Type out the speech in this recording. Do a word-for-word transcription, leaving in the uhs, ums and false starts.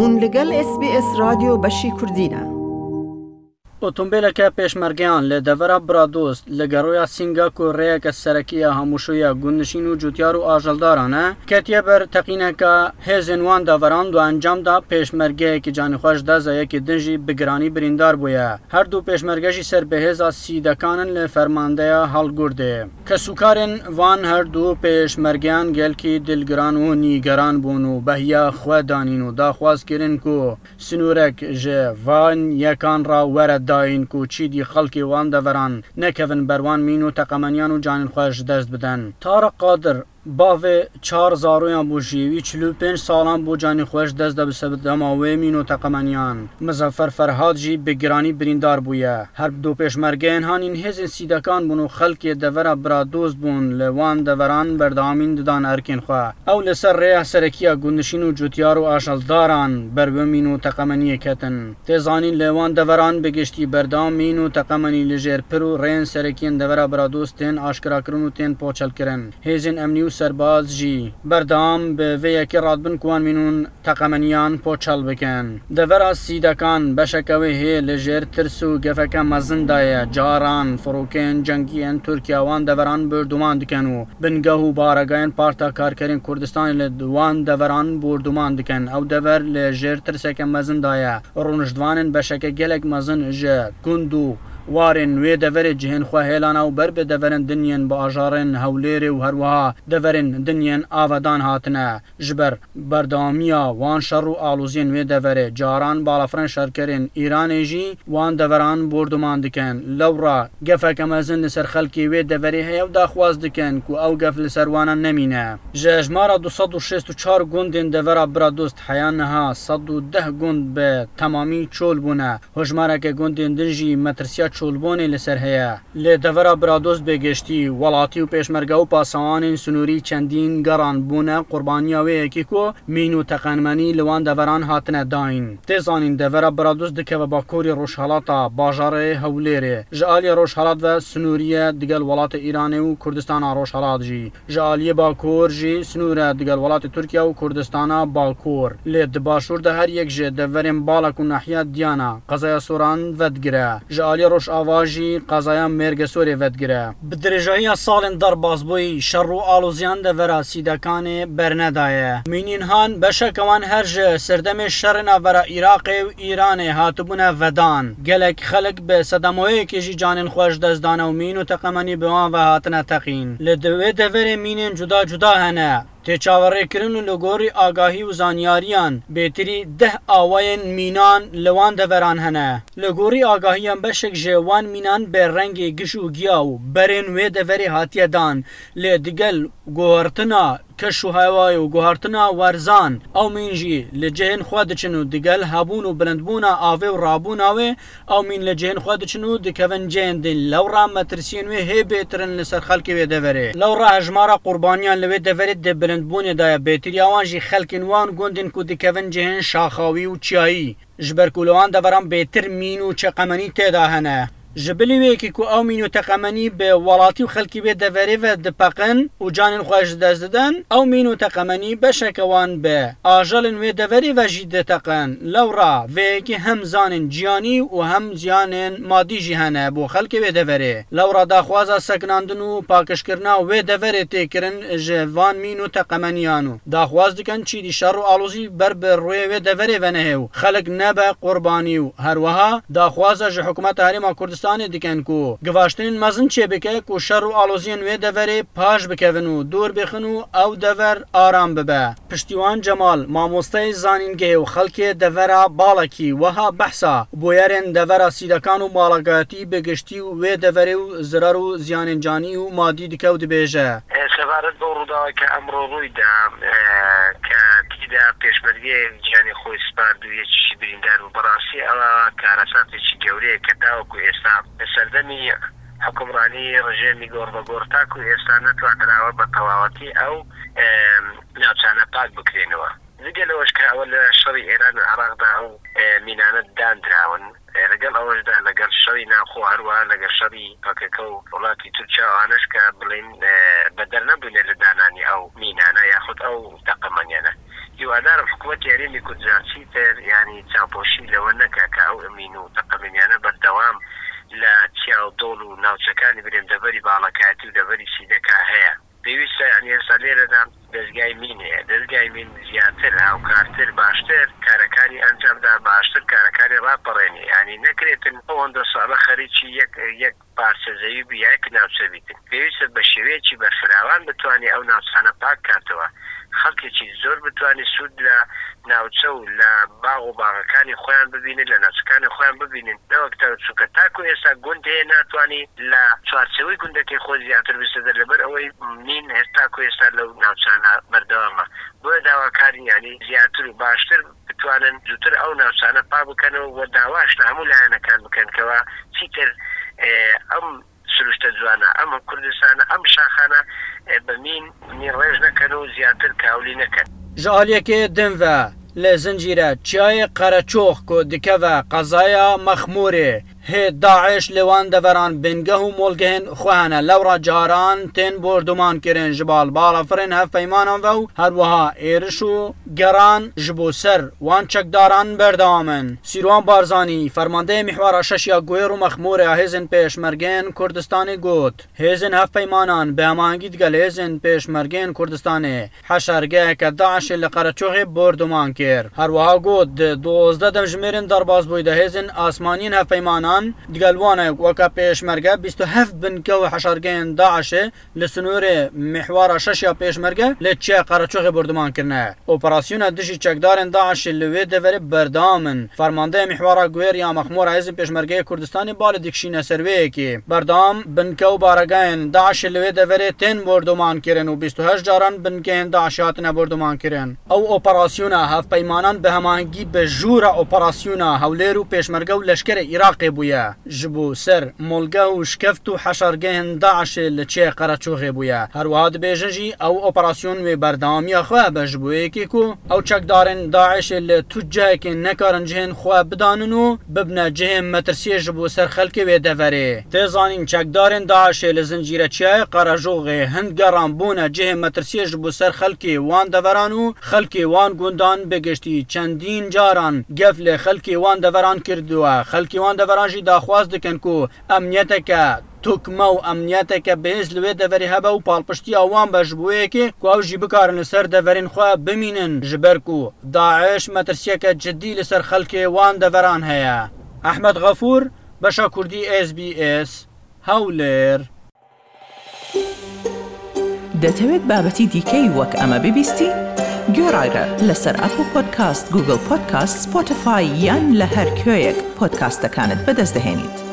Hûn li gel S B S Radyo Beşî Kurdî ne. Otombêleke pêşmergeyan li devera Bradost li geroya Sînga ku rêyeke serekî ya hemûşoya gundnişîn û cûtyar û ajeldaran e, ketiye ber teqîneke hêzên wan deveran û encam da pêşmergeyekî canîxweş dest da, yekî din jî bi giranî birîndar bûye. Her du pêşmerge jî ser bi hêza Sîdekan in li fermandeya Halgurdê. Kesûkarên van her du pêşmergeyan gelkî dilgiran û nîgeran bûn û behiya xwe danîn û daxwaz kirin ku sinûrek ji van yekan re were dayîn ku çîdî xelkê wan deveran nekevin ber wan mîn û teqemeniyan û canên xwe ji dest bidin. Tarek Qadir, bavê çar zaroyan bû jî, wî çil û pênc salan bû canî xwe ji dest de bi sedema wê mîn û teqemeniyan. Muzaffer Ferhad jî bi giranî birîndar bûye. Her du pêşmergeyên hanîn hêzên Sîdekan bûn û xelkê devera Biradost bûn, li wan deveran berdewamîn didan erkên xwe. Ew li ser rêya serekî ya gundnişîn û cûtyar û ajeldaran ber bi mîn û teqemeniyê ketin. Tê zanîn li wan deveran bi giştî berdewam mîn û teqemenî li jêr pir û rêyên serekî yên devera Biradost tên aşkerakirin û tên poçelkirin. Hêzên emnî û serbaz jî berdewam bi vê yekê radibin ku wan mîn û teqemeniyan poçel bikin. Devera Sîdekan beşeke wê hê li jêr tirs û gefeke mezin de ye. Caran firokeyên cengî yên Tirkiye wan deveran bordûman dikin û bingeh û baregehên Parta Karkerên Kurdistanê li wan deveran bordûman dikin. Ew dever li jêr tirseke mezin de ye. Rûniştvanên beşeke gelek mezin ji gund û warên wê deverê cihên xwe hêlana û ber bi deverên din yên bi ajarên Hewlêrê û herwiha deverên din yên avedan hatine. Ji ber berdewamiya wan şer û aloziyên wê deverê, caran balafirên şerkerên Îranê jî wan deveran bordûman dikin. Lewra gefeke mezin li ser xelkê wê deverê heye û daxwaz dikin ku ew gef li ser wana nemîne. Ji hejmara du sed û şêst û çar gundên devera Biradost heya niha sed û deh gund bi temamî çol bûne. Hojmareke gundên din jî metirsiya çolbûnê li ser heye. Li devera Biradost bi giştî, welatî û pêşmerge û pasewanên sinûrî çendîn geran bûne qurbaniya wê yekê ku mîn û teqemenî li wan deveran hatine dayîn. Tê zanîn devera Biradost dikeve bakurê rojhelata bajarê Hewlêrê. Ji aliyê rojhelat ve sinûrî ye digel welatê Îranê û Kurdistana Rojhelat jî. Ji aliyê bakur jî sinûr e digel welatê Tirkiye û Kurdistana Bakur. Lê di başûr de her yek ji deverên Balak û nahiya Diyana, qezaya Soran vedigire. Ji aliyê rojava jî qezaya Mêrgesorê vedigire. Bi dirêjahiya salên derbasbûyî, şer û aloziyan devera Sîdekanê bernedaye. Mînên han beşeke wan her ji serdemê şerê navbera Iraqê û Îranê hatibûne vedan. Gelek xelk bi sedemoyekê jî canên xwe ji dest dane û mîn û teqemenî bi wan ve hatine teqîn. Li di wê deverê mînên cuda cuda hene. Tê çaverêkirin û li gorî agahî û zanyariyan bêtirî deh awayên mînan li wan deveran hene. Li gorî agahiyan beşek ji wan mînan bi rengê giş û giya û berên wê deverê hatiye dan, lê digel guhertina keş û hewayê û guhertina werzan ew mîn jî li cihên xwe diçin û digel hebûn û bilindbûna avê û rabûna wê Ew mîn li cihên xwe diçin û dikevin cihên din. Lewra metirsiyên wê hê bêtir in li ser xelkê wê deverê. Lewra hejmara qurbaniyan li wê deverê di bilindbûnê de ye. Bêtiriya wan jî xelkên wan gundên ku dikevin cihên şaxawî û çiyayî. Ji ber ku li wan deveran bêtir mîn û çeqemenî tê de hene. Ji bilî wê yekê ku ew mîn û teqemenî bi welatî û xelkê wê deverê ve dipeqin û canên xwe ji dest didin, ew mîn û teqemenî beşeke wan bi ajelên wê deverê ve jî diteqin. Lewra vê yekê hem ziyanên ciyanî û hem ziyanên madî jî hene bo xelkê wê deverê. Lewra daxwaza sekinandin û pakişkirina wê deverê tê kirin ji van mîn û teqemeniyan û daxwaz dikin çîdî şer û alozî ber bi rûyê wê deverê venehê û xelk nebe qurbanî û herwiha daxwaza ji Hikûmeta Herêma Kurdistanê dikin ku givaştinên mezin çêbike ku şer û aloziyên wê deverê paş bikevin û dûr bêxin û ew dever aram bibe. Piştîwan Cemal, mamosteyê zanîngehê û xelkê devera Balakî, wiha behsa bûyerên devera Sîdekan û malagayatî bi giştî û wê deverê û zirar û ziyanên canî û madî dike û dibêje. Sebaret بەو ڕووداوە کە ئەمڕۆ ڕوویدا، کە تیدا پێشمەرگەیەک گیانی خۆی سپارد و یەکیشی بریندار بوو. بەڕاستی ئەوە کارەساتێکی گەورەیە کە تاوەکو ئێستا لە سەردەمی حکومڕانی ڕژێمی گۆڕبەگۆڕ تاکو ئێستا نەتوانراوە بە تەواوەتی ئەو ناوچانە پاک بکرێنەوە. جگە لەوەش کە ئەوە لە شەڕی ئێران و عێراقدا ئەو مینانە داندراون. لەگەڵ ئەوەشدا لەگەڵ شەڕی ناوخۆ هەروە لەگەڵ شەڕی پەکەکە و وڵاتی تورکیا و ئانەش کە بڵین بە دەرنەبوونێ لە دانانی ئەو مینانە یاخود ئەو تەقەمەنیانە. هیوادارم حکوومەتی هەرێمی کوردستان چیتر، یعنی، چاوپۆشی لەوە نەکا کە ئەو ئەمین و تەقەمەنیانە بەردەوام لە چیا و دۆڵ و ناوچەکانی بنێن دەڤەری باڵەکایەتی و دەڤەری سیدەکا هەیە. پێویستە، یعنی، ئێستا لێرەدا دەستگای مین هەیە. دەستگای مین زیاتر، هاوکارتر، باشتر کارەکانی ئەنجامدا، باشتر کارەکانی ڕاپەڕێنێ. یعنی، نەکرێتن ئەوەندە ساڵە خەریکی یەک، یەک پارچە زەوی بی، یەک ناوچە بیتن. پێویستە بە شێوەیەکی بەرفراوان بتوانێ ئەو ناوچانە پاک کاتەوە. خەڵکێکی زۆر بتوانێ سوود لە ناوچە و لە باغ و باغەکانی خۆیان ببینن، لە ناوچەکانی خۆیان ببینن. نەوەک تا، چونکە تاکو ئێستا گوند هەیە ناتوانێ لە چوارچێوەی گوندەکەی خۆی زیاتر بچێتە دەر، لەبەر ئەوەی مین هەر تاکو ئێستا لەو ناوچانە بەردەوامە. بۆیە داواکارین، یعنی، زیاتر و باشتر بتوانن زووتر ئەو ناوچانە پاک بکەنەوە و داواش لە هەموو لایەنەکان بکەن کەوا چیتر، ئێ، ئەم سروشتە جوانە، ئەم کوردستانە، ئەم شاخانە، ئێ، بە مین، مین ڕێژ نەکەن و زیاتر کاولی نەکەن. Ji aliyekê din ve li zincîre çiyayê Qereçox ku dikeve qezaya Mexmûrê, hê DAIŞ li wan deveran bingeh û molgehên xwe hene. Lewra caran tên borduman kirin ji bal balafirên hevpeymanan ve û her wiha êriş û geran ji bo ser wan çekdaran berdewam in. Sîrwan Barzanî, fermandeyê Mîhwara şeş ya Guêr û Mexmûrê ya Hêzên Pêşmergeyên Kurdistanê got, Hêzên hevpeymanan bi hemahengî digel Hêzên Pêşmergeyên Kurdistanê heşergeheke DAIŞê li Qereçoxê borduman kir. Her wiha got, di duwazdeh demjimêrên derbazbûyî de hêzên asmaniyên hevpeymanan digel wan e, weke pêşmerge bîst û heft binke û heşergehên DAIŞê li sinûrê Mîhwara şeş ya Pêşmerge li Çiyayê Qereçoxê borduman kirine. Operasyona dijî çekdarên DAIŞê li wê deverê berdewam in. Fermandeya Mîhwara Guêr ya Mexmûra Hêzên Pêşmergeyê Kurdistanê balê dikişîne ser wê yekê. Berdewam binke û baregehên DAIŞê li wê deverê tên borduman kirin û bîst û heşt caran bingehên DAIŞê hatine borduman kirin. Ew operasyona hevpeymanan bi hemahengî bi jûra operasyona Hewlêr û Pêşmerge û leşkerê Iraqê bûye. Ji bo ser molgeh û şikeft û heşargehên DAIŞê li Çiyayê Qereçoxê bûye. Her wiha dibêjin jî ew operasyon wê berdewamiya xwe hebe, ji bo yekê ku ew çekdarên DAIŞê li tu cihekê nekarin cihên xwe bidanin û bibne cihê metirsiyê ji bo ser xelkê wê deverê. Tê zanîn, çekdarên DAIŞê li zincîre Çiyayê Qereçoxê hin geran bûne cihê metirsiyê ji bo ser xelkê wan deveran û xelkê wan gundan bi giştî çendîn caran gef li xelkê wan deveran kirdiwe. Xelkê wan deveran jî daxwaz dikin ku emniyeteke tokme û emniyeteke bihêz li wê deverê hebe û palpiştiya wan be, ji bo yekê ku ew jî bikarin li ser deverên xwe bimînin, ji ber ku DAIŞ metirsiyeke cidî li ser xelkê wan deveran heye. Ehmed Xefûr, Beşa Kurdî, S B S, Hewlêr. دەتەوێت بابەتی دیکەی وەک ئەمە ببیستی؟ گوێڕایرە لەسەر ئەپڵ پۆدکاست، گوگڵ پۆدکاست، سپۆتیفای یان لە هەر کوێیەک پۆدکاستەکانت بەدەست دەهێنیت.